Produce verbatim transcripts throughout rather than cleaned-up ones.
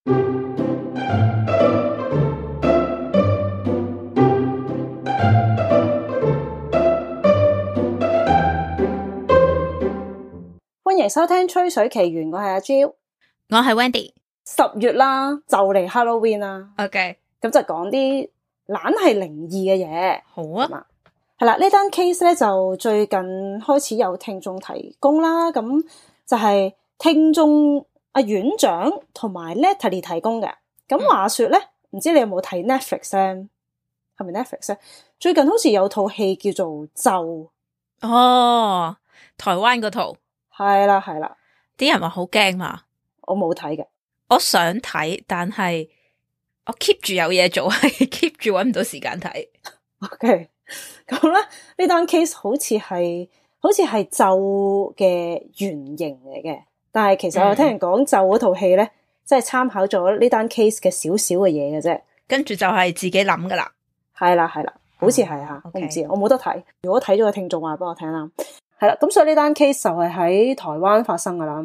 歡迎收聽《吹水奇緣》，我係阿 Jill， 我係 Wendy。十月啦，就嚟 Halloween 啦。OK， 咁就講啲懶係靈異嘅嘢。好啊，係啦，呢單 case 咧就最近開始有聽眾提供啦，咁就係聽眾阿院長同埋 Natalie 提供嘅。咁話說咧，唔、嗯、知你有冇睇 Netflix 咧？係咪 Netflix 咧？最近好似有套戲叫做咒。哦，台灣嗰套。係啦係啦，啲人話好驚嘛，我冇睇嘅，我想睇，但係我 keep 住有嘢做，係 keep 住搵唔到時間睇。OK， 咁咧呢單 case 好似係好似係咒嘅原型嚟嘅，但係其實我聽人講咒嗰套戲咧，即係參考咗呢單 case 嘅少少嘅嘢嘅啫，跟住就係自己諗噶啦。係啦係啦，好似係吓，我唔知，我冇得睇。如果睇咗嘅聽眾話俾我聽啦。係啦，咁所以呢單 case 就係喺台灣發生噶啦。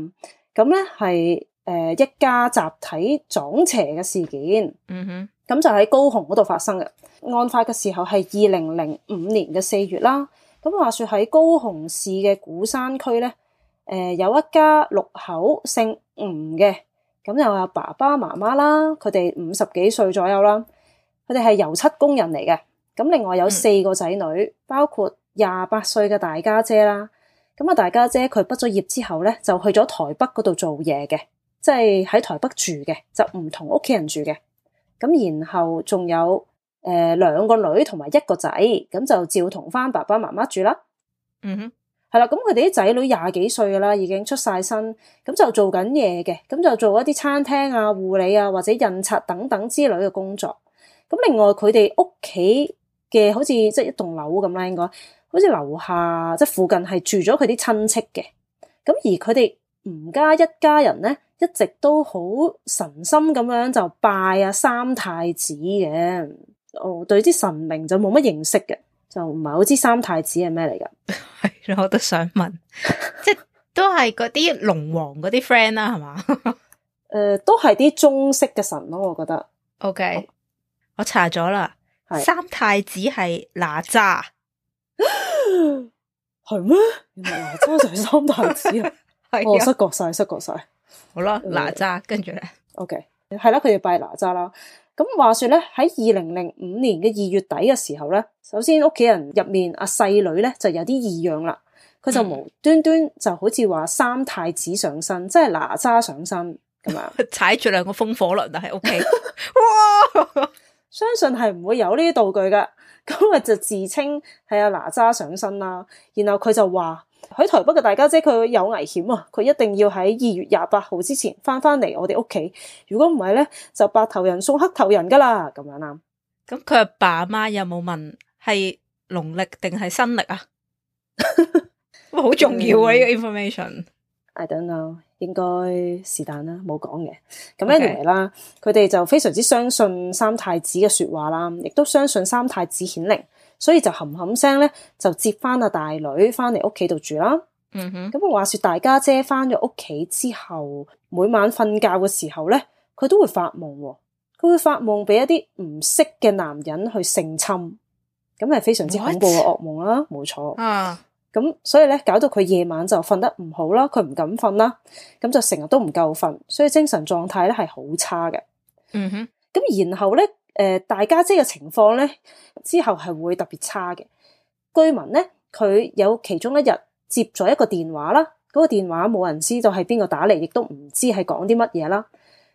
咁咧係誒一家集體撞邪嘅事件。嗯哼，咁就喺高雄嗰度發生嘅。案發嘅時候係二零零五年嘅四月啦。咁話說喺高雄市嘅鼓山區咧，誒、呃、有一家六口姓吳嘅，咁就有爸爸媽媽啦，佢哋五十幾歲左右啦。佢哋係油漆工人嚟嘅。咁另外有四個仔女，嗯、包括廿八歲嘅大家姐啦，咁啊大家姐佢畢咗業之後咧，就去咗台北嗰度做嘢嘅，即係喺台北住嘅，就唔同屋企人住嘅。咁然後仲有誒兩、呃、個女同埋一個仔，咁就照同翻爸爸媽媽住啦。嗯哼，係啦，咁佢哋啲仔女廿幾歲噶啦，已經出晒身，咁就做緊嘢嘅，咁就做一啲餐廳啊、護理啊或者印刷等等之類嘅工作。咁另外佢哋屋企嘅好似即係一棟樓咁啦，應該好似樓下即係附近係住咗佢啲親戚嘅。咁而佢哋吳家一家人咧，一直都好神心咁樣就拜啊三太子嘅。我對啲神明就冇乜認識嘅，就唔係好知三太子係咩嚟噶。係咯，我都想問，即係都係嗰啲龍王嗰啲 friend 啦，係嘛？誒、呃，都係啲中式嘅神咯，我覺得。OK，我，我查咗啦。三太子係哪吒，係咩？原來哪吒就係三太子啊！我、哦、失覺晒，失覺晒。好啦，哪吒跟住咧 ，OK， 係啦，佢哋拜哪吒啦。咁話說咧，喺二零零五年嘅二月底嘅時候咧，首先屋企人入面阿細女咧就有啲異樣啦，佢就無端端就好似話三太子上身，嗯、即係哪吒上身咁樣，踩住兩個風火輪啊喺屋企，哇！相信係唔會有呢啲道具噶，咁啊就自稱係阿哪吒上身啦。然後佢就話喺台北嘅大家姐佢有危險啊，佢一定要喺二月廿八號之前翻翻嚟我哋屋企。如果唔係咧，就白頭人送黑頭人噶啦，咁樣啦。咁佢阿爸阿媽有冇問係農曆定係新曆啊？好重要啊！呢、嗯、個 information。I don't know。應該是但啦，冇講嘅。咁 anyway 啦，佢哋就非常之相信三太子嘅說話啦，亦都相信三太子顯靈，所以就冚冚聲咧就接翻阿大女翻嚟屋企度住啦。嗯哼。咁話說大家姐翻咗屋企之後，每晚瞓覺嘅時候咧，佢都會發夢，佢會發夢俾一啲唔識嘅男人去性侵，咁係非常之恐怖嘅噩夢啦，冇錯。啊。咁所以咧，搞到佢夜晚就瞓得唔好啦，佢唔敢瞓啦，咁就成日都唔夠瞓，所以精神狀態咧係好差嘅。嗯哼，咁然後咧，誒、呃，大家姐嘅情況咧之後係會特別差嘅。據聞咧，佢有其中一日接咗一個電話啦，嗰、那個電話冇人知道係邊個打嚟，亦都唔知係講啲乜嘢啦。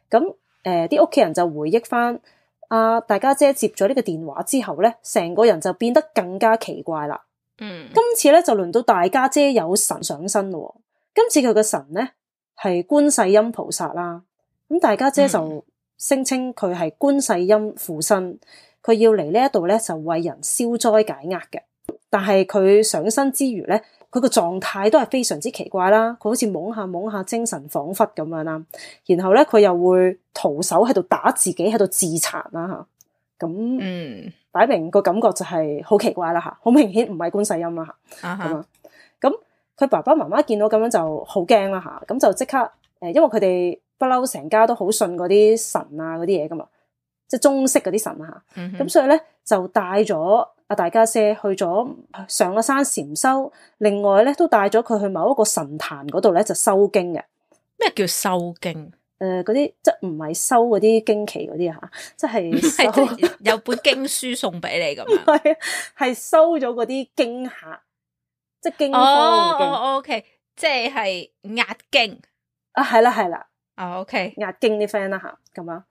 咁誒，啲屋企人就回憶翻，啊，大家姐接咗呢個電話之後咧，成個人就變得更加奇怪啦。嗯，今次咧就輪到大家姐有神上身咯。今次佢嘅神咧係觀世音菩薩啦。咁大家姐就聲稱佢係觀世音附身，佢要嚟呢一度咧就為人消災解厄嘅。但係佢上身之餘咧，佢個狀態都係非常之奇怪啦。佢好似懵下懵下，精神恍惚咁樣啦。然後咧佢又會徒手喺度打自己，喺度自殘啦吓。咁嗯。擺明個感覺就係好奇怪啦吓，好明顯唔係觀世音啦吓，咁啊，咁佢爸爸媽媽見到咁樣就好驚啦吓，咁就即刻誒，因為佢哋不嬲成家都好信嗰啲神啊嗰啲嘢噶嘛，即係中式嗰啲神啊嚇。咁、嗯、所以咧就帶咗阿大家姐去咗上咗山禪修，另外咧都帶咗佢去某一個神壇嗰度咧就修經嘅。咩叫修經？誒嗰啲即係唔係修嗰啲經期嗰啲嚇，即係收有本經書送俾你咁樣。係啊，係收咗嗰啲經客，即係經方嘅經。哦 OK， 即係壓經啊，係啦係啦。哦 OK， 壓經啲 friend 啦嚇咁啊。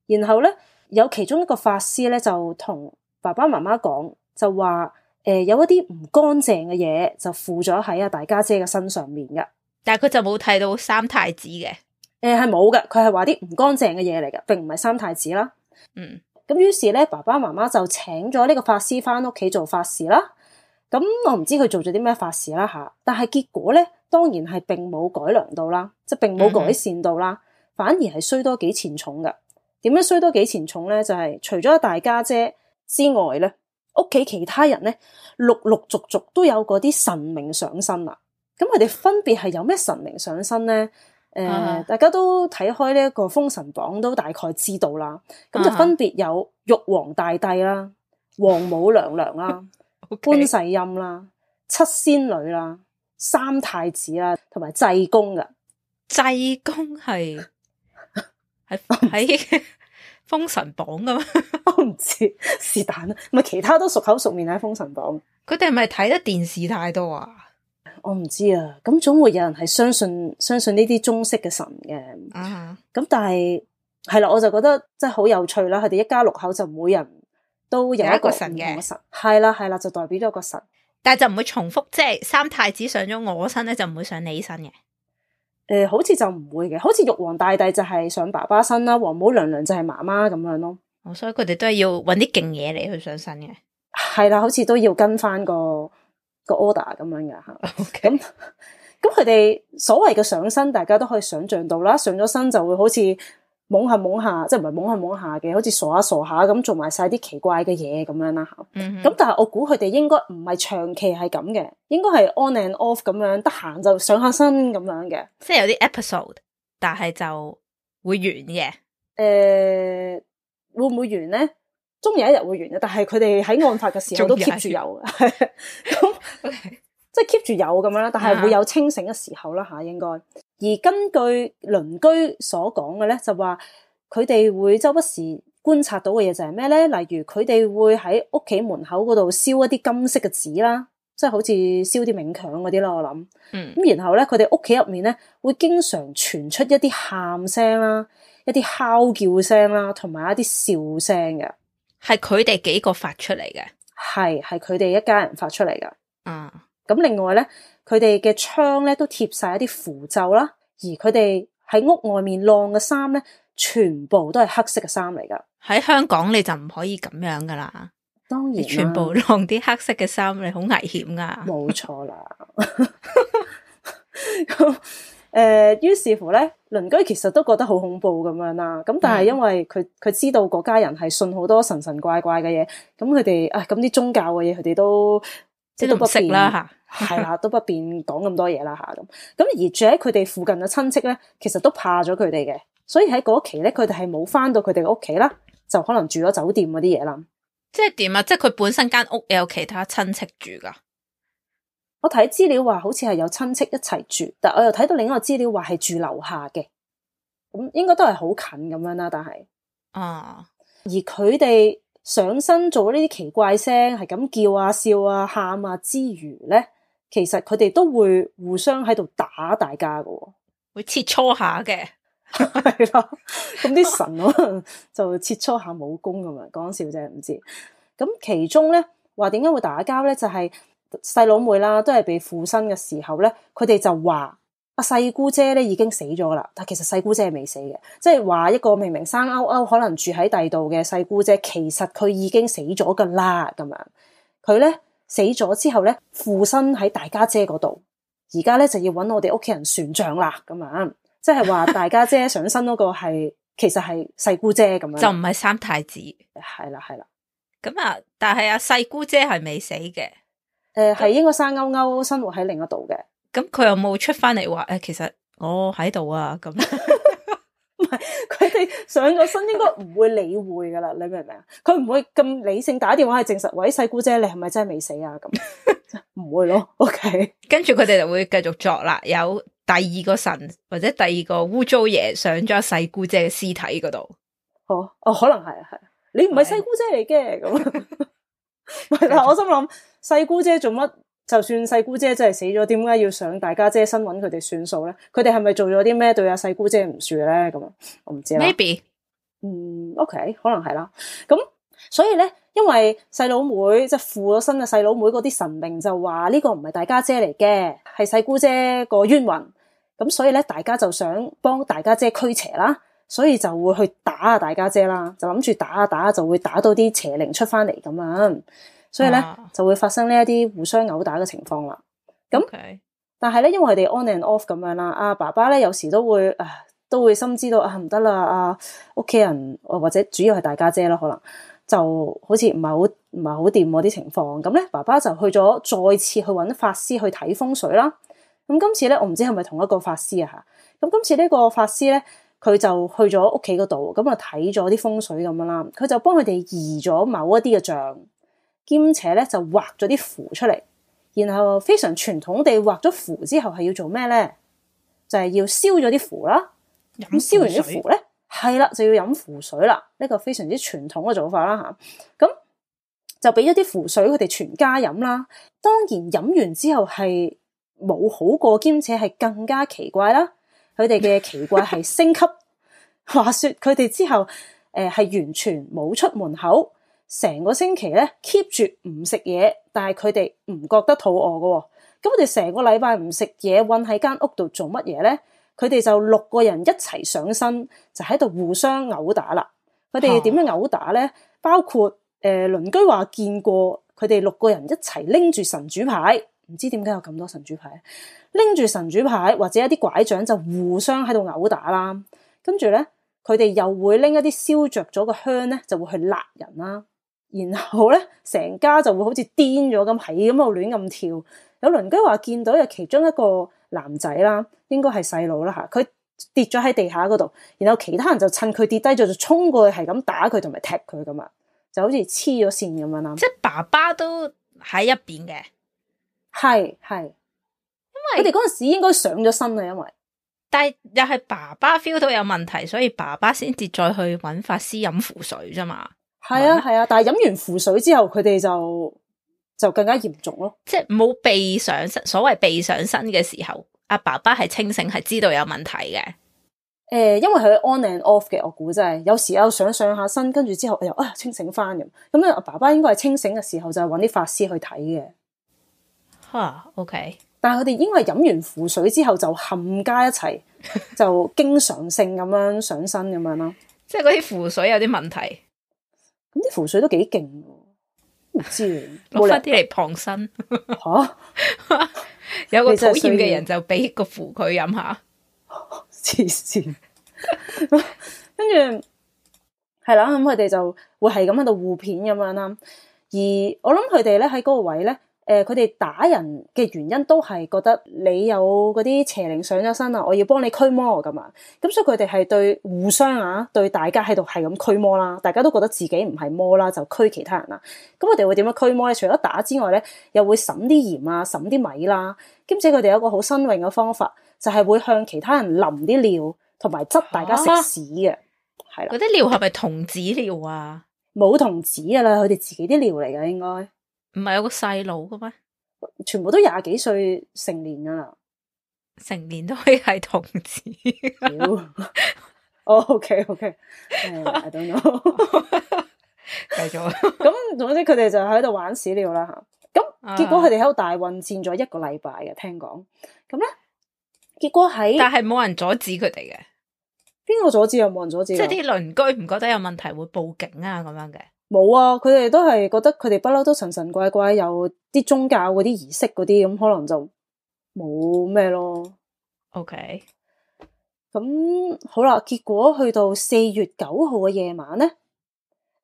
然後咧有其中一個法師咧就同爸爸媽媽講，就話誒、呃、有一啲唔乾淨嘅嘢就附咗喺阿大家姐嘅身上面嘅。但係佢就冇睇到三太子嘅。誒係冇嘅，佢係話啲唔乾淨嘅嘢嚟嘅，並唔係三太子啦。嗯，咁於是咧，爸爸媽媽就請咗呢個法師翻屋企做法事啦。咁我唔知佢做咗啲咩法事啦吓，但係結果咧，當然係並冇改良到啦，即係並冇改善到啦，嗯、反而係衰多幾錢重嘅。點樣衰多幾錢重咧？就係、是、除咗大家姐之外咧，屋企其他人咧，陸陸續續都有嗰啲神明上身啦。咁佢哋分別係有咩神明上身咧？誒、呃，uh-huh. 大家都睇開呢一個封神榜，都大概知道啦。咁就分別有玉皇大帝啦、王母娘娘啦、觀 Okay. 世音啦、七仙女啦、三太子啦，同埋濟公噶。濟公係喺喺封神榜噶嘛？我唔知是但啦，咪其他都熟口熟面喺封神榜。佢哋係咪睇得電視太多啊？我唔知啊，咁總會有人係相信相信呢啲中式嘅神嘅，咁、uh-huh. 但係係啦，我就覺得真係好有趣啦。佢哋一家六口就每人都有一個神嘅神，係啦係啦，就代表咗個神，但係就唔會重複，即係三太子上咗我身咧，就唔會上你身嘅。誒、呃，好似就唔會嘅，好似玉皇大帝就係上爸爸身啦，王母娘娘就係媽媽咁樣咯。哦，所以佢哋都係要搵啲勁嘢嚟去上身嘅。係啦，好似都要跟翻個。個 order 咁樣嘅吓，咁咁佢哋所謂嘅上身，大家都可以想象到啦。上咗身就會好似懵下懵下，即係唔係懵下懵下嘅，好似傻下傻下咁做埋晒啲奇怪嘅嘢咁樣啦吓。咁、mm-hmm. 但係我估佢哋應該唔係長期係咁嘅，應該係 on and off 咁樣，得閒就上下身咁樣嘅，即係有啲 episode，但係就會完嘅。誒、呃，會唔會完咧？終有一日會完嘅，但係佢哋喺案發嘅時候都 keep 住有嘅，咁即係 keep 住有咁樣啦。但係會有清醒嘅時候啦吓，應該。而根據鄰居所講嘅咧，就話佢哋會周不時觀察到嘅嘢就係咩咧？例如佢哋會喺屋企門口嗰度燒一啲金色嘅紙啦，即係好似燒啲冥鏹嗰啲啦。我諗，嗯，咁然後咧，佢哋屋企入面咧會經常傳出一啲喊聲啦、一啲嚎叫聲啦，同埋一啲笑聲嘅。係佢哋幾個發出嚟嘅，係係佢哋一家人發出嚟噶。嗯，咁另外咧，佢哋嘅窗咧都貼晒一啲符咒啦，而佢哋喺屋外面晾嘅衫咧，全部都係黑色嘅衫嚟噶。喺香港你就唔可以咁樣噶啦，當然，你全部晾啲黑色嘅衫，你好危險噶。冇錯啦。誒、呃，於是乎咧，鄰居其實都覺得好恐怖咁樣啦。咁但係因為佢佢知道嗰家人係信好多神神怪怪嘅嘢，咁佢哋啊，咁啲宗教嘅嘢佢哋都即係都不便啦吓，係啦，都不便講咁多嘢啦吓咁。咁而住喺佢哋附近嘅親戚咧，其實都怕咗佢哋嘅，所以喺嗰期咧，佢哋係冇翻到佢哋嘅屋企啦，就可能住咗酒店嗰啲嘢啦。即係點啊？即係佢本身間屋有其他親戚住噶？我睇資料話好似係有親戚一齊住，但我又睇到另一個資料話係住樓下嘅，咁應該都係好近咁樣啦。但係啊，而佢哋上身做呢啲奇怪聲，係咁叫啊、笑啊、喊啊之餘咧，其實佢哋都會互相喺度打大家喎，會切磋下嘅，係啦。咁啲神可能就切磋下武功咁樣，講笑啫，唔知。咁其中咧話點解會打交咧？就係、是。細佬妹啦，都係被附身嘅時候咧，佢哋就話阿細姑姐咧已經死咗啦，但其實細姑姐係未死嘅，即係話一個明明生勾勾可能住喺第度嘅細姑姐，其實佢已經死咗噶啦，咁樣佢咧死咗之後咧附身喺大家姐嗰度，而家咧就要搵我哋屋企人算賬啦，咁樣即係話大家姐上身嗰個係其實係細姑姐咁樣，就唔係三太子，係啦係啦，咁啊，但係阿細姑姐係未死嘅。誒、呃，係應該生勾勾生活喺另一度嘅。咁佢有冇出翻嚟話誒，其實我喺度啊？咁係佢哋上咗身應該唔會理會噶啦，你明唔明啊？佢唔會咁理性打電話去證實，喂，細姑姐你係咪真係未死啊？咁唔會咯。OK， 跟住佢哋就會繼續作啦，有第二個神或者第二個污糟爺上咗細姑姐嘅屍體嗰度。哦哦，可能係啊係，你唔係細姑姐嚟嘅咁。但係我心諗細姑姐做乜？就算細姑姐真係死咗，點解要上大家姐身揾佢哋算數咧？佢哋係咪做咗啲咩對阿細姑姐唔住咧？咁我唔知啦。Maybe， 嗯 ，OK， 可能係啦。咁所以咧，因為細佬妹即係附咗身嘅細佬妹嗰啲神明就話呢個唔係大家姐嚟嘅，係細姑姐個冤魂。咁所以咧，大家就想幫大家姐驅邪啦，所以就會去打下大家姐啦，就諗住打下打下就會打到啲邪靈出翻嚟咁樣。所以咧、啊、就會發生呢一啲互相毆打嘅情況啦。咁，okay. 但係咧，因為佢哋 on and off 咁樣啦，阿爸爸咧有時都會啊，都會深知道啊唔得啦，啊屋企人或者主要係大家姐啦，可能就好似唔係好唔係好掂嗰啲情況。咁咧，爸爸就去咗再次去揾法師去睇風水啦。咁今次咧，我唔知係咪同一個法師啊嚇。咁今次呢個法師咧，佢就去咗屋企嗰度，咁啊睇咗啲風水咁樣啦。佢就幫佢哋移咗某一啲嘅像。兼且咧就畫咗啲符出嚟，然後非常傳統地畫咗符之後係要做咩咧？就係、是、要燒咗啲符啦。咁燒完啲符咧，係啦就要飲符水啦。呢、這個非常之傳統嘅做法啦吓。咁就俾咗啲符水佢哋全家飲啦。當然飲完之後係冇好過，兼且係更加奇怪啦。佢哋嘅奇怪係升級。話說佢哋之後誒係、呃、完全冇出門口。成個星期咧 keep 住唔食嘢，但係佢哋唔覺得肚餓㗎喎。咁佢哋成個禮拜唔食嘢，韞喺間屋度做乜嘢咧？佢哋就六個人一齊上身，就喺度互相毆打啦。佢哋點樣毆打咧？包括誒鄰居話見過佢哋六個人一齊拎住神主牌，唔知點解有咁多神主牌，拎住神主牌或者一啲拐杖就互相喺度毆打啦。跟住咧，佢哋又會拎一啲燒着咗嘅香咧，就會去辣人啦。然後咧，成家就會好似癲咗咁，係咁喺度亂咁跳。有鄰居話見到有其中一個男仔啦，應該係細佬啦吓，佢跌咗喺地下嗰度，然後其他人就趁佢跌低咗就衝過去，係咁打佢同埋踢佢咁啊，就好似黐咗線咁樣啦。即係爸爸都喺一邊嘅，係係，因為佢哋嗰陣時應該上咗身啊，因為但係又係爸爸 feel 到有問題，所以爸爸先至再去揾法師飲符水啫嘛。係啊係啊，但係飲完符水之後，佢哋就就更加嚴重咯。即係冇被上身，所謂被上身嘅時候，阿爸爸係清醒，係知道有問題嘅。誒、呃，因為佢 on and off 嘅，我估真係有時有上上下身，跟住之後又啊清醒翻咁。咁咧，阿爸爸應該係清醒嘅時候就係揾啲法師去睇嘅。吓 ，OK。但係佢哋應該係飲完符水之後就冚家一齊，就經常性咁樣上身咁樣咯。即係嗰啲符水有啲問題。咁啲符水都幾勁，唔知攞翻啲嚟傍身吓、啊，有個討厭嘅人就俾個符佢飲下，黐線。跟住係啦，咁佢哋就會係咁喺度互片咁樣啦。而我諗佢哋咧喺嗰個位咧。誒，佢哋打人嘅原因都係覺得你有嗰啲邪靈上咗身啊，我要幫你驅魔咁啊，咁所以佢哋係對互相啊，對大家喺度係咁驅魔啦，大家都覺得自己唔係魔啦，就驅其他人啦。咁佢哋會點樣驅魔咧？除咗打之外咧，又會揼啲鹽啊，揼啲米啦，兼且佢哋有一個好新穎嘅方法，就係、是、會向其他人淋啲尿，同埋執大家食屎嘅，係啦。嗰啲尿係咪童子尿啊？冇童子噶啦，佢哋自己啲尿嚟噶，應該。唔係有個細佬嘅咩？全部都廿幾歲成年噶啦，成年都可以係童子。哦，OK OK，I don't know。繼續。咁總之佢哋就喺度玩屎尿啦吓。咁結果佢哋喺度大混戰咗一個禮拜嘅，聽講。咁咧，結果喺但係冇人阻止佢哋嘅。邊個阻止又冇人阻止？即係啲鄰居唔覺得有問題會報警啊咁樣嘅。冇啊，佢哋都係覺得佢哋不嬲都神神怪怪，有啲宗教嗰啲儀式嗰啲，咁可能就冇咩咯。OK，咁好啦，結果去到四月九號嘅夜晚咧，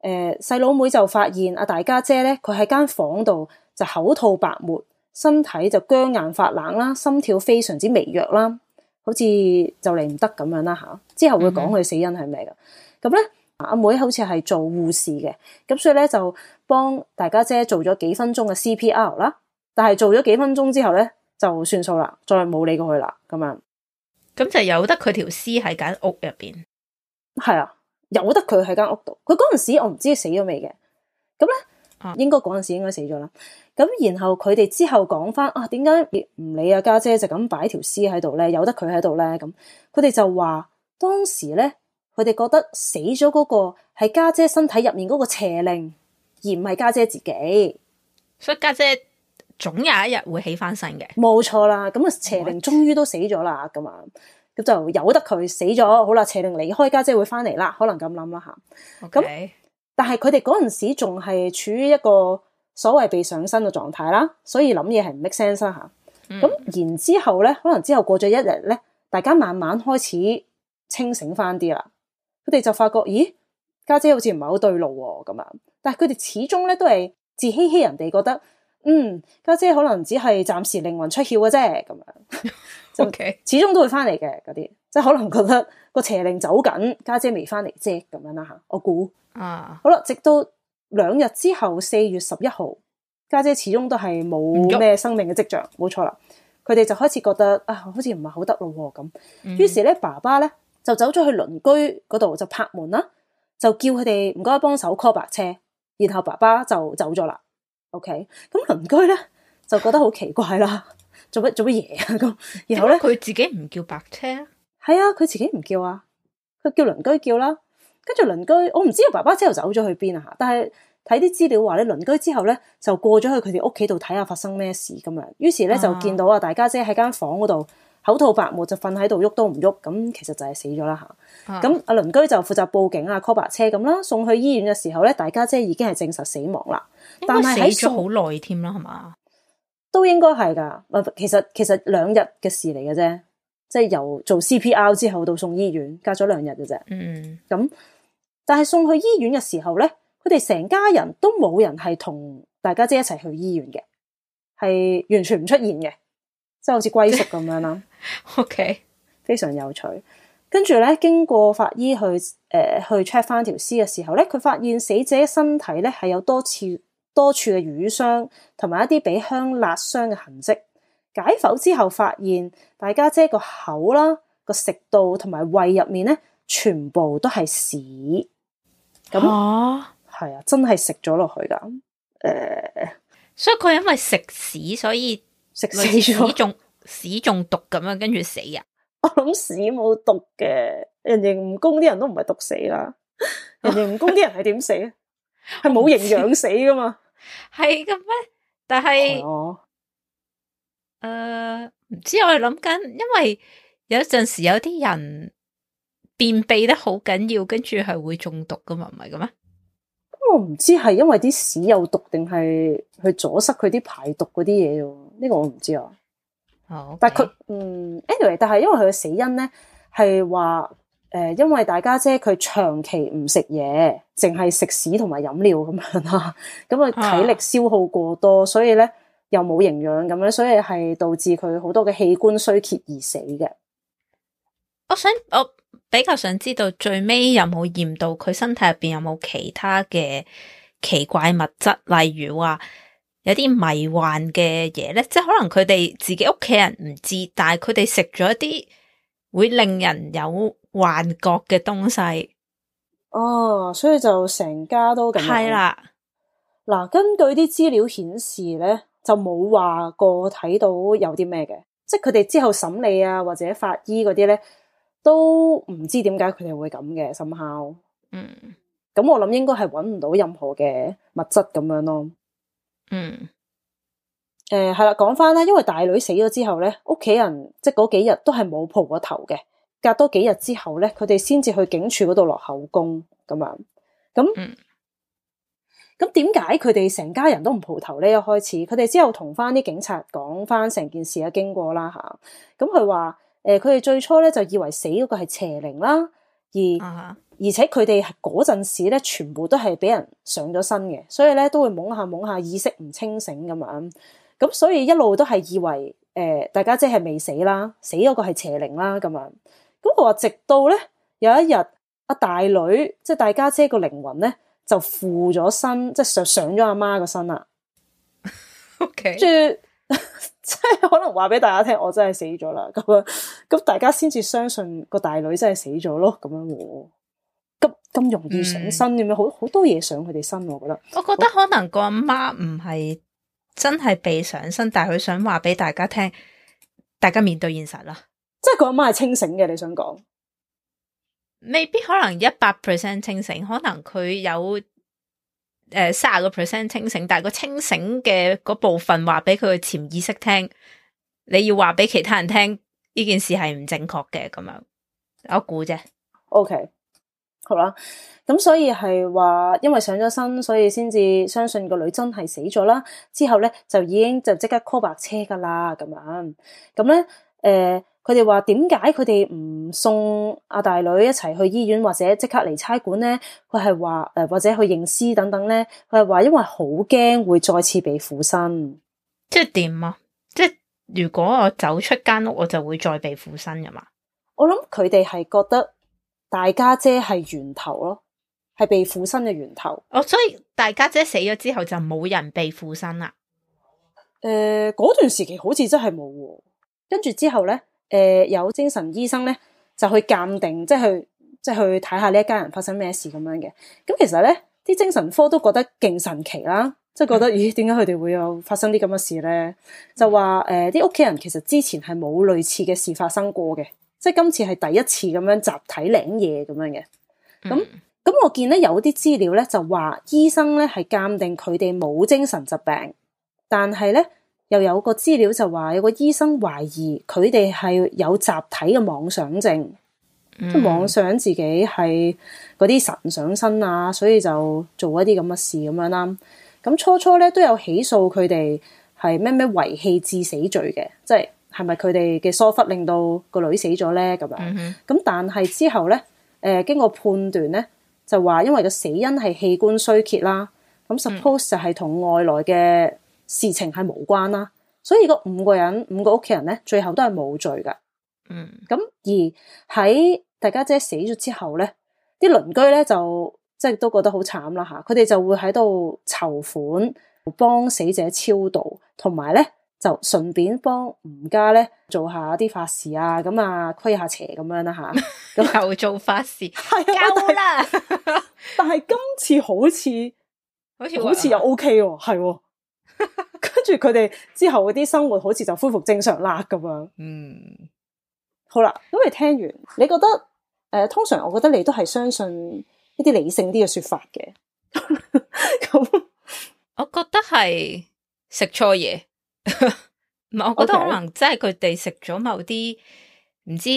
誒細佬妹就發現阿大家姐咧，佢喺間房度就口吐白沫，身體就僵硬發冷啦，心跳非常之微弱啦。好似就嚟唔得咁樣啦吓。之後會講佢死因係咩嘅。咁咧阿妹好似係做護士嘅，咁所以咧就幫大家姐做咗幾分鐘嘅 C P R 啦。但係做咗幾分鐘之後咧就算數啦，再冇理過佢啦咁樣。咁就由得佢條屍喺間屋入邊。係啊，由得佢喺間屋度。佢嗰陣時我唔知死咗未嘅。咁咧、啊、應該嗰陣時應該死咗啦。咁然後佢哋之後講翻啊，點解唔理阿家姐就咁擺條屍喺度咧，由得佢喺度咧？咁佢哋就話當時咧，佢哋覺得死咗嗰個係家姐身體入面嗰個邪靈，而唔係家姐自己。所以家姐總有一日會起翻身嘅。冇錯啦，咁啊邪靈終於都死咗啦，咁啊咁就由得佢死咗。好啦，邪靈離開，家姐會翻嚟啦，可能咁諗啦吓。咁、okay. 但係佢哋嗰陣時仲係處於一個所謂被上身嘅狀態啦，所以諗嘢係唔 make sense 啦吓。咁、嗯、然之後咧，可能之後過咗一日咧，大家慢慢開始清醒翻啲啦。佢哋就發覺，咦，家姐好似唔係好對路喎咁樣。但係佢哋始終咧都係自欺欺人哋，覺得嗯家姐可能只係暫時靈魂出竅嘅啫咁樣。就始終都會翻嚟嘅嗰啲，即係可能覺得個邪靈走緊，家姐未翻嚟啫咁樣啦吓。我估啊，好啦，直到兩日之後，四月十一號，家姐始終都係冇咩生命嘅跡象，冇錯啦。佢哋就開始覺得啊，好似唔係好得咯咁。於是咧，爸爸咧就走咗去鄰居嗰度就拍門啦，就叫佢哋唔該幫手 call 白車，然後爸爸就走咗啦。OK，咁鄰居咧就覺得好奇怪啦，做乜做乜嘢啊咁？然後咧佢自己唔叫白車，係啊，佢自己唔叫啊，佢叫鄰居叫啦。跟住鄰居，我唔知道爸爸之後走咗去邊啊吓，但係睇啲資料話咧，鄰居之後咧就過咗去佢哋屋企度睇下發生咩事咁樣。於是咧就見到啊，大家姐喺間房嗰度口吐白沫，就瞓喺度喐都唔喐，咁其實就係死咗啦吓。咁阿鄰居就負責報警啊 call 白車咁啦，送去醫院嘅時候咧，大家姐已經係證實死亡啦。但係死咗好耐添啦，係嘛？都應該係噶。其實其實兩日嘅事嚟嘅啫，即係由做 C P R 之後到送醫院，隔咗兩日嘅啫。嗯，咁。但係送去醫院嘅時候咧，佢哋成家人都冇人係同大家姐一齊去醫院嘅，係完全唔出現嘅，即係好似歸宿咁樣啦。OK，非常有趣。跟住咧，經過法醫去誒、呃、去 check 翻條屍嘅時候咧，佢發現死者身體咧係有多次多處嘅瘀傷，同埋一啲俾香辣傷嘅痕跡。解剖之後發現，大家姐個口啦、個食道同埋胃入面咧，全部都係屎。咁係啊，真係食咗落去噶。誒、呃，所以佢因為食屎，所以食死咗，屎中屎中毒咁樣，跟住死啊！我諗屎冇毒嘅，人形蜈蚣啲人都唔係毒死啦。人形蜈蚣啲人係點死啊？係冇營養死噶嘛？係嘅咩？但係誒，唔、呃、知我係諗緊，因為有陣時有啲人便秘得好緊要，跟住係會中毒噶嘛，唔係嘅咩？我唔知係因為啲屎有毒，定係去阻塞佢啲排毒嗰啲嘢喎？呢、這個我唔知啊。哦，okay. 但係佢嗯 anyway，但係因為佢嘅死因咧係話誒，因為大家姐佢長期唔食嘢，淨係食屎同埋飲料咁樣啦，咁啊體力消耗過多，啊、所以咧又冇營養咁樣，所以係導致佢好多嘅器官衰竭而死嘅。我想我比較想知道最尾有冇驗到佢身體入邊有冇其他嘅奇怪物質，例如話有啲迷幻嘅嘢咧，即係可能佢哋自己屋企人唔知，但係佢哋食咗一啲會令人有幻覺嘅東西。哦，所以就成家都咁樣。係啦，嗱，根據啲資料顯示咧，就冇話過睇到有啲咩嘅，即係佢哋之後審理啊或者法醫嗰啲咧，都唔知點解佢哋會咁嘅somehow。嗯，咁我諗應該係搵唔到任何嘅物質咁樣咯。嗯，誒係啦，講翻啦，因為大女死咗之後咧，屋企人即係嗰幾日都係冇蒲過頭嘅。隔多幾日之後咧，佢哋先至去警署嗰度落口供咁樣。咁咁點解佢哋成家人都唔蒲頭咧？一開始佢哋之後同翻啲警察講翻成件事嘅經過啦吓。咁佢話誒，佢哋最初咧就以為死嗰個係邪靈啦，而、uh-huh. 而且佢哋嗰陣時咧全部都係俾人上咗身嘅，所以咧都會懵下懵下，意識唔清醒咁樣。咁所以一路都係以為誒大家姐係未死啦，死嗰個係邪靈啦咁樣。咁佢話直到咧有一日阿大女即係大家姐個靈魂咧就附咗身，即係上上咗阿媽個身啦。OK，住即係可能話俾大家聽，我真係死咗啦咁樣，咁大家先至相信個大女真係死咗咯咁樣喎。咁咁容易上身咁樣，好好多嘢上佢哋身，我覺得。我覺得可能個阿媽唔係真係被上身，但係佢想話俾大家聽，大家面對現實啦。即係個阿媽係清醒嘅，你想講？未必可能一百 percent 清醒，可能佢有誒三十個 percent 清醒，但係個清醒嘅嗰部分話俾佢嘅潛意識聽，你要話俾其他人聽呢件事係唔正確嘅咁樣，我估啫。OK。好啦，咁所以係話，因為上咗身，所以先至相信個女真係死咗啦。之後咧就已經就即刻 call 白車噶啦，咁樣。咁咧，誒、呃，佢哋話點解佢哋唔送阿大女一齊去醫院，或者即刻嚟差館咧？佢係話誒，或者去認屍等等咧？佢係話因為好驚會再次被附身。即係點啊？即係如果我走出間屋，我就會再被附身噶嘛？我諗佢哋係覺得。大家姐係源頭咯，係被附身嘅源頭。哦，所以大家姐死咗之後就冇人被附身啦。誒、呃，嗰段時期好似真係冇喎。跟住之後咧，誒、呃、有精神醫生咧就去鑑定，即係去即係去睇下呢一家人發生咩事咁樣嘅。咁其實咧，啲精神科都覺得勁神奇啦，即係覺得、嗯、咦，點解佢哋會有發生啲咁嘅事咧？就話誒，啲屋企人其實之前係冇類似嘅事發生過嘅。即係今次係第一次咁樣集體領嘢咁樣嘅，咁咁、嗯、我見咧有啲資料咧就話醫生咧係鑑定佢哋冇精神疾病，但係咧又有個資料就話有個醫生懷疑佢哋係有集體嘅妄想症，嗯、即係妄想自己係嗰啲神上身啊，所以就做一啲咁嘅事咁樣啦。咁初初咧都有起訴佢哋係咩咩遺棄致死罪嘅，即係。係咪佢哋嘅疏忽令到個女死咗咧？咁樣咁，嗯、但係之後咧，誒、呃、經過判斷咧，就話因為個死因係器官衰竭啦，咁 suppose 就係同外來嘅事情係無關啦，所以個五個人五個屋企人咧，最後都係冇罪噶。嗯，咁而喺大家姐死咗之後咧，啲鄰居咧就即係都覺得好慘啦嚇，佢哋就會喺度籌款幫死者超度，同埋咧。就順便幫吳家咧做下啲法事啊，咁啊驅下邪咁樣啦吓，咁又做法事，係啊，夠啦！但係今次好似好似好似又 OK 喎，係喎，跟住佢哋之後嗰啲生活好似就恢復正常啦咁樣。嗯，好啦，咁你聽完，你覺得誒、呃？通常我覺得你都係相信一啲理性啲嘅說法嘅。咁我覺得係食錯嘢。唔係，我覺得可能真係佢哋食咗某啲唔知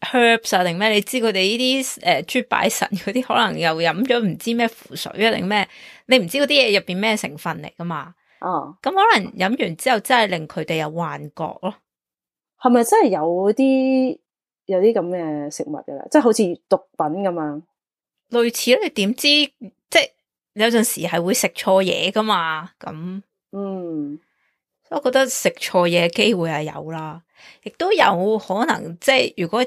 herbs 啊定咩？你知佢哋呢啲誒豬拜神嗰啲，可能又飲咗唔知咩符水啊定咩？你唔知嗰啲嘢入邊咩成分嚟噶嘛？哦，咁可能飲完之後真係令佢哋有幻覺咯。係咪真係有啲有啲咁嘅食物噶啦？即係好似毒品咁樣，類似你點知？即係有陣時係會食錯嘢噶嘛？咁嗯。我覺得食錯嘢嘅機會係有啦，亦都有可能即係如果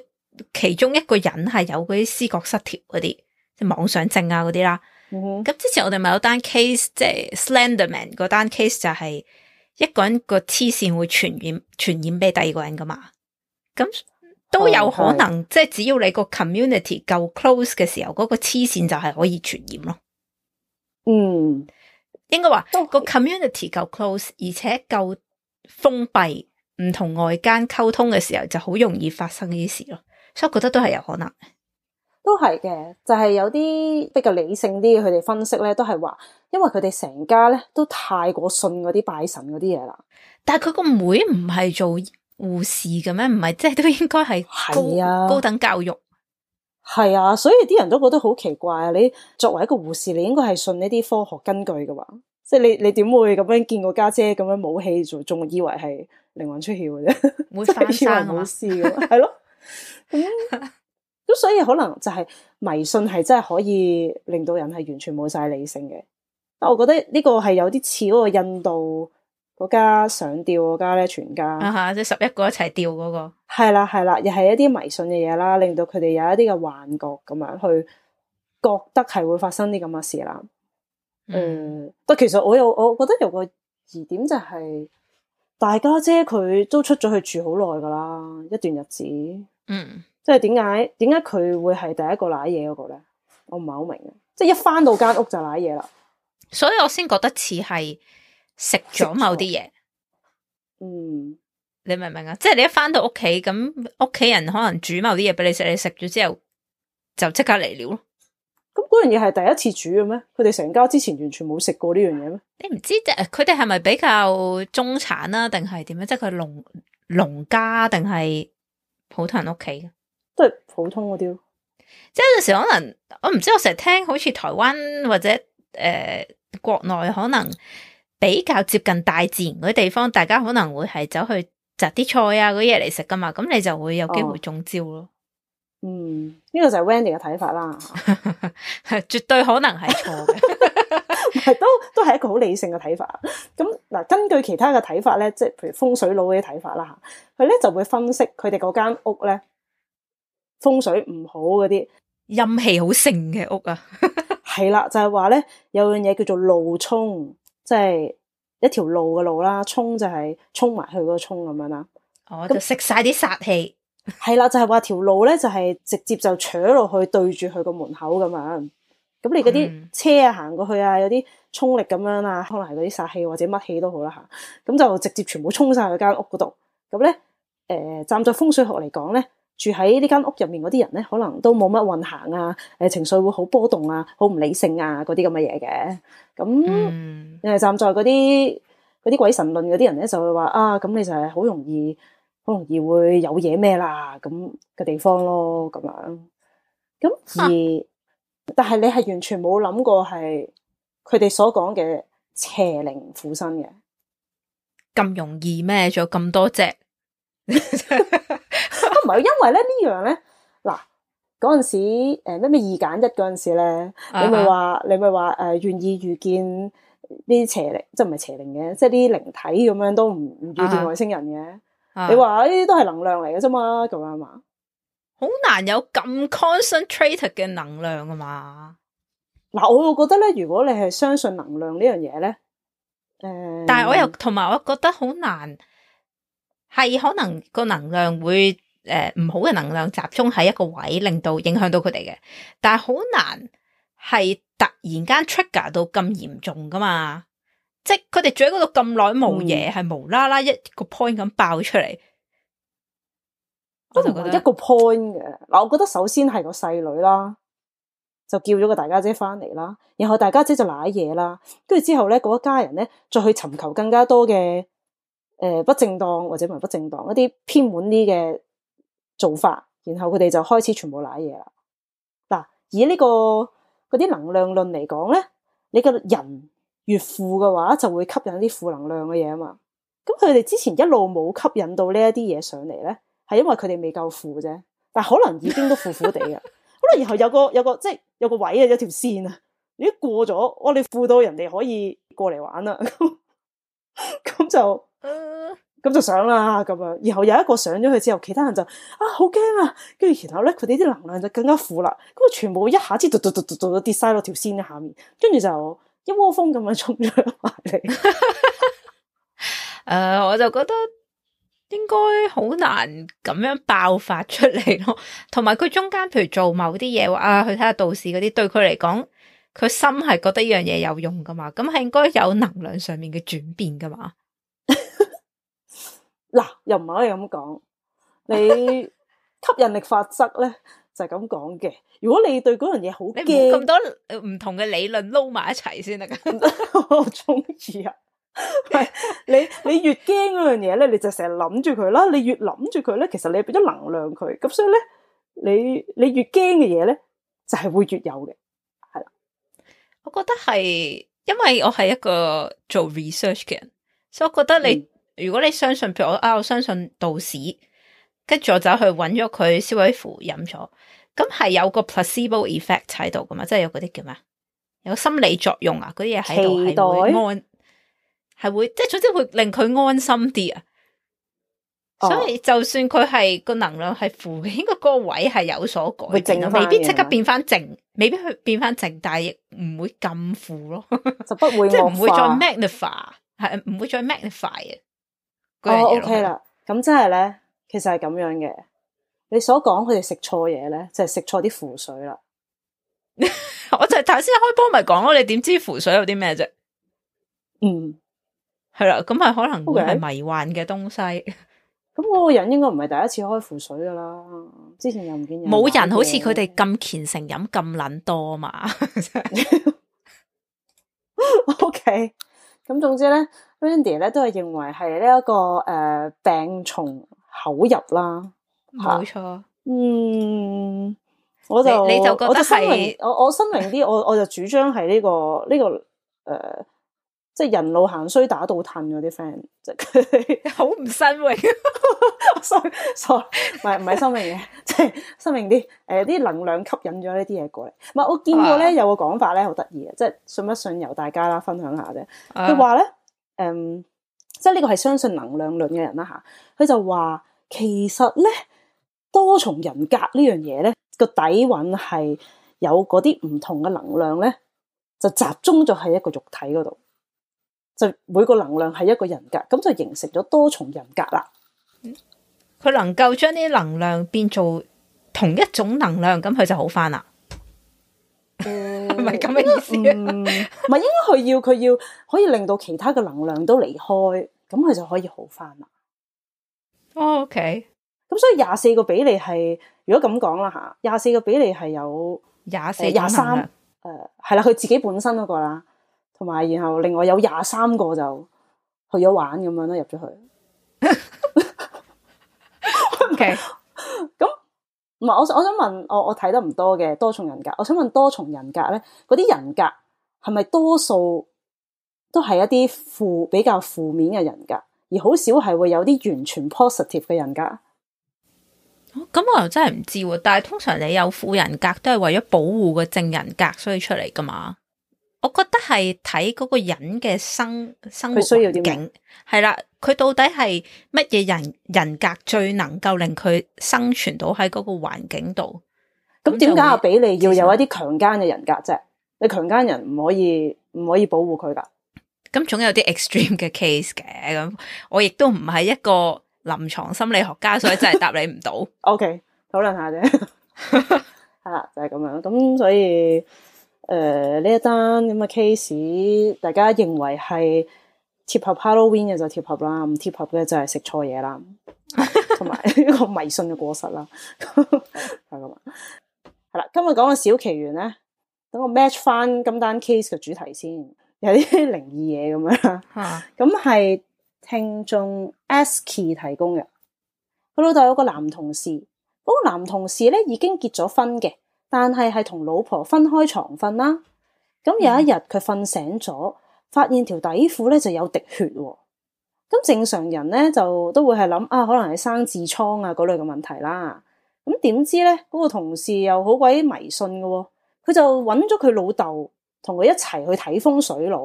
其中一個人係有嗰啲思覺失調嗰啲，即係妄想症啊嗰啲啦。咁、嗯、之前我哋咪有單 case， 即係 Slenderman 嗰單 case 就係一個人個黐線會傳染傳染俾第二個人噶嘛。咁都有可能，哦、即係只要你個 community 夠 close 嘅時候，嗰、嗰個黐線就係可以傳染咯。嗯。應該話個 community 夠 close，而且夠封閉，唔同外間溝通嘅時候，就好容易發生呢啲事咯。所以我覺得都係有可能，都係嘅。就係、是、有啲比較理性啲嘅，佢哋分析咧，都係話，因為佢哋成家咧都太過信嗰啲拜神嗰啲嘢啦。但係佢個妹唔係做護士嘅咩？唔係即係都應該係高、啊、高等教育。係啊，所以啲人都覺得好奇怪啊！你作為一個護士，你應該係信呢啲科學根據嘅嘛？即係你你點會咁樣見個家姐咁樣冇氣，仲仲以為係靈魂出竅嘅啫？會翻生啊？冇事嘅，係咯。咁咁所以可能就係迷信係真係可以令到人係完全冇晒理性嘅。但我覺得呢個係有啲似嗰個印度嗰嗰家上吊嗰家咧，全家啊哈，即係十一個一齊吊嗰個，係啦係啦，又係一啲迷信嘅嘢啦，令到佢哋有一啲嘅幻覺咁樣去覺得係會發生啲咁嘅事啦。誒、嗯，但、呃、其實我有我覺得有個疑點就係、是、大家姐佢都出咗去住好耐噶啦，一段日子。嗯，即係點解點解佢會係第一個瀨嘢嗰個咧？我唔係好明嘅，即係一翻到間屋就瀨嘢啦。所以我先覺得似係食咗某啲嘢。嗯，你明唔明啊？即係你一翻到屋企，咁屋企人可能煮某啲嘢俾你食，你食咗之後就即刻嚟料咯。咁嗰樣嘢係第一次煮嘅咩？佢哋成家之前完全冇食過呢樣嘢咩？你唔知即係佢哋係咪比較中產啦，定係點樣？即係佢農農家定係普通人屋企？都係普通嗰啲咯。即係有陣時可能我唔知，我成日聽好似台灣或者誒、呃、國內可能比較接近大自然嗰啲地方，大家可能會係走去摘啲菜啊嗰啲嘢嚟食噶嘛，咁你就會有機會中招咯。哦、嗯，呢、這個就係 Wendy 嘅睇法啦，絕對可能係錯嘅，係都都係一個好理性嘅睇法。咁嗱，根據其他嘅睇法咧，即係譬如風水佬嗰啲睇法啦吓，佢咧就會分析佢哋嗰間屋咧風水唔好嗰啲陰氣好盛嘅屋啊，係啦，就係話咧有樣嘢叫做路沖，即係一條路嘅路啦，沖就係沖埋去嗰個沖咁樣啦。哦，就食晒啲煞氣。係啦，就係話條路咧就係直接就扯落去對住佢個門口咁樣。咁你嗰啲車啊行過去啊，有啲沖力咁樣啊，可能係嗰啲煞氣或者乜氣都好啦吓。咁就直接全部沖晒去間屋嗰度。咁咧，誒、呃，站在風水學嚟講咧，住喺呢間屋入面嗰啲人咧，可能都冇乜運行啊，誒，情緒會好波動啊，好唔理性啊，嗰啲咁嘅嘢嘅。咁誒，嗯、站在嗰啲嗰啲鬼神論嗰啲人咧，就會話啊，咁你就係好容易。好容易會有嘢咩啦咁嘅地方咯，咁樣咁而，啊、但係你係完全冇諗過係佢哋所講嘅邪靈附身嘅，咁容易咩？仲有咁多隻，唔係因為咧呢樣咧嗱嗰陣時誒咩咩二揀一嗰陣時咧，你咪話你咪話誒願意遇見呢啲邪靈，即係唔係邪靈嘅，即係啲靈體咁樣都唔唔遇見外星人嘅。啊你話呢啲都係能量嚟嘅啫嘛，咁樣嘛，好難有咁 concentrated 嘅能量啊嘛。嗱，我會覺得咧，如果你係相信能量呢樣嘢咧，誒、呃，但係我又同埋我覺得好難，係可能個能量會誒唔好嘅能量集中喺一個位，令到影響到佢哋嘅，但係好難係突然間 trigger 到咁嚴重噶嘛。即係佢哋住喺嗰度咁耐冇嘢，係、嗯、無啦啦一個 point 咁爆出嚟，我就覺得一個 point 嘅。嗱，我覺得首先係個細女啦，就叫咗個大家姐翻嚟啦，然後大家姐就瀨嘢啦，跟住之後咧，嗰一家人咧再去尋求更加多嘅誒、呃、不正當或者唔係不正當一啲偏門啲嘅做法，然後佢哋就開始全部瀨嘢啦。嗱，以呢、這個嗰啲能量論嚟講咧，你個人越負嘅話，就會吸引啲負能量嘅嘢啊嘛。咁佢哋之前一路冇吸引到呢一啲嘢上嚟咧，係因為佢哋未夠負啫。但係可能已經都負負地嘅，可能然後有個有個即係有個位啊，有條線啊，如果過咗，我哋負到人哋可以過嚟玩啦。咁就咁、呃、就上啦咁樣。然後有一個上咗去之後，其他人就啊好驚啊，跟住然後咧佢哋啲能量就更加負啦。咁啊全部一下子嘟嘟嘟嘟嘟跌晒落條線嘅下面，跟住就。一窩蜂咁樣衝咗埋嚟，誒、呃，我就覺得應該好難咁樣爆發出嚟咯。同埋佢中間，譬如做某啲嘢，啊，去睇下道士嗰啲，對佢嚟講，佢心係覺得呢樣嘢有用噶嘛，咁係應該有能量上面嘅轉變噶嘛。嗱，又唔可以咁講，你吸引力法則咧就係咁講嘅。如果你對嗰樣嘢好驚，你冇咁多唔同嘅理論撈埋一齊先得噶。我中意啊！係你你越驚嗰樣嘢咧，你就成日諗住佢啦。你越諗住佢咧，其實你俾咗能量佢。咁所以咧，你你越驚嘅嘢咧，就係會越有嘅。係啦，我覺得係，因為我係一個做 research 嘅人，所以我覺得你、嗯、如果你相信，譬如我啊，我相信道士，跟住我走去揾咗佢燒鬼符飲咗。咁係有個 placebo effect 喺度噶嘛，即係有嗰啲叫咩？有心理作用啊，嗰啲嘢喺度係會安，係會即係總之會令佢安心啲啊。哦、所以就算佢係個能量係負嘅，應該嗰個位係有所改會變，正返嘅未必即刻變翻正，未必去變翻正，但係亦唔會咁負咯，就不會即係唔會再惡化 magnify，係唔會再 magnify 嘅。哦，OK 啦，咁即係咧，其實係咁樣嘅。你所講佢哋食錯嘢咧，就係食錯啲符水啦。我就係頭先開波咪講咯，你點知符水有啲咩啫？嗯，係啦，咁係可能會 Okay 係迷幻嘅東西。咁嗰個人應該唔係第一次開符水噶啦，之前又唔見有冇人買嘅好似佢哋咁虔誠飲咁撚多嘛。OK，咁總之咧 ，Randy 咧都係認為係呢一個誒、呃、病從口入啦。冇錯。嗯，我就你你就覺得我就申明係我我申明啲，我我就主張係呢、這個呢、這個誒、呃，即係人路行衰打倒褪嗰啲 friend，即係佢哋好唔新穎。 sorry sorry，唔係唔係申明嘅，即係申明啲誒啲能量吸引咗呢啲嘢過嚟。唔係我見過咧、啊、有個講法咧好得意嘅，即係信不信由大家啦分享下啫。佢話咧誒，即係呢個係相信能量論嘅人啦吓，佢就話其實咧多重人格呢樣嘢咧個底蘊係有嗰啲唔同嘅能量咧，就集中咗喺一個肉體嗰度，就每個能量係一個人格，咁就形成咗多重人格啦。佢能夠將啲能量變做同一種能量，咁佢就好翻啦。係咪咁嘅意思啊？唔係，應該佢要佢要可以令到其他嘅能量都離開，咁佢就可以好翻啦。哦，OK。咁所以廿四個比例係，如果咁講啦吓，廿四個比例係有廿四廿三，誒係啦，佢自己本身嗰個啦，同埋然後另外有廿三個就去咗玩咁樣啦，入咗去。OK，咁唔係我我想問，我我睇得唔多嘅多重人格，我想問多重人格咧，嗰啲人格係咪多數都係一啲負比較負面嘅人格，而好少係會有啲完全 positive 嘅人格？咁、哦、我又真係唔知喎。但係通常你有負人格都係為咗保護個正人格所以出嚟噶嘛。我覺得係睇嗰個人嘅生生活環境係啦，佢到底係乜嘢人人格最能夠令佢生存到喺嗰個環境度？咁點解阿比利要有一啲強姦嘅人格啫？你強姦人唔可以唔可以保護佢噶？咁總有啲 extreme 嘅 case 嘅。咁我亦都唔係一個臨床心理學家，所以真係答你唔到。OK， 討論下啫，係啦，就係咁樣。咁所以。誒，呢、呃、一單咁嘅 case， 大家認為係貼合 Halloween 嘅就貼合啦，唔貼合嘅就係食錯嘢啦，同埋一個迷信嘅過失啦，係咁啊。係啦，今日講嘅小奇緣咧，等我 match 翻今單 case 嘅主題先，有啲靈異嘢咁樣啦。咁係聽眾 Asky 提供嘅，佢老豆有個男同事，嗰、那個男同事咧已經結咗婚嘅。但係係同老婆分開床瞓啦，咁有一日佢瞓醒咗，發現條底褲咧就有滴血喎。咁正常人咧就都會係諗啊，可能係生痔瘡啊嗰類嘅問題啦。咁點知咧嗰個同事又好鬼迷信嘅喎，佢就揾咗佢老豆同佢一齊去睇風水佬。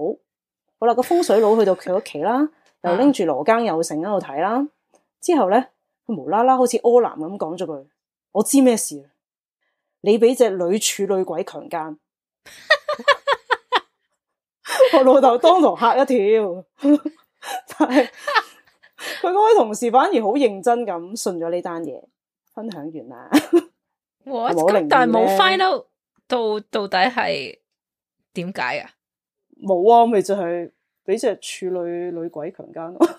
好啦，個風水佬去到佢屋企啦，又拎住羅庚有繩喺度睇啦。之後咧佢無啦啦好似柯南咁講咗句：我知咩事。你俾隻女處女鬼強姦，我老豆當堂嚇一跳，但係佢嗰位同事反而好認真咁信咗呢單嘢，分享完啦。咁但係冇 find out 到到底係點解啊？冇啊，咪就係俾隻處女女鬼強姦咯，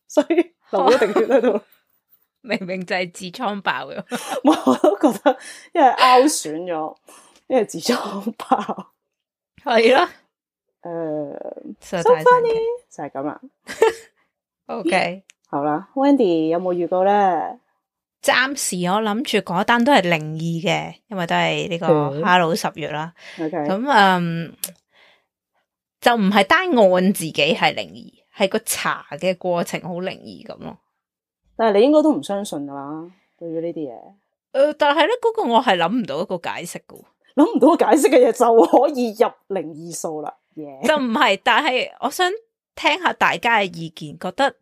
所以流咗滴血喺度。明明就係痔瘡爆嘅，我都覺得，因為拗損咗，因為痔瘡爆，係咯，誒，so funny 就係咁啦。OK，好啦 ，Wendy 有冇預告咧？暫時我諗住嗰單都係靈異嘅，因為都係呢個哈佬十月啦。OK，咁嗯，就唔係單案自己係靈異，係個查嘅過程好靈異咁咯。但係你應該都唔相信噶啦，對於呢啲嘢。誒、呃，但係咧嗰個我係諗唔到一個解釋噶，諗唔到解釋嘅嘢就可以入靈異數啦。Yeah. 就唔係，但係我想聽下大家嘅意見，覺得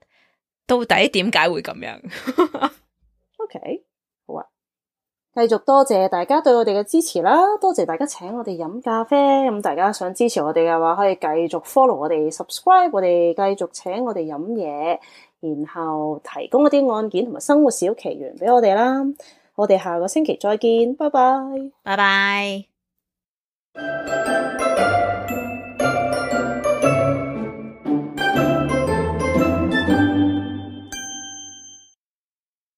到底點解會咁樣？OK， 好啊，繼續多謝大家對我哋嘅支持啦，多謝大家請我哋飲咖啡。咁大家想支持我哋嘅話，可以繼續 follow 我哋 subscribe 我哋，繼續請我哋飲嘢，然後提供一啲案件同埋生活小奇懸俾我哋啦。我哋下個星期再見，拜拜，拜拜。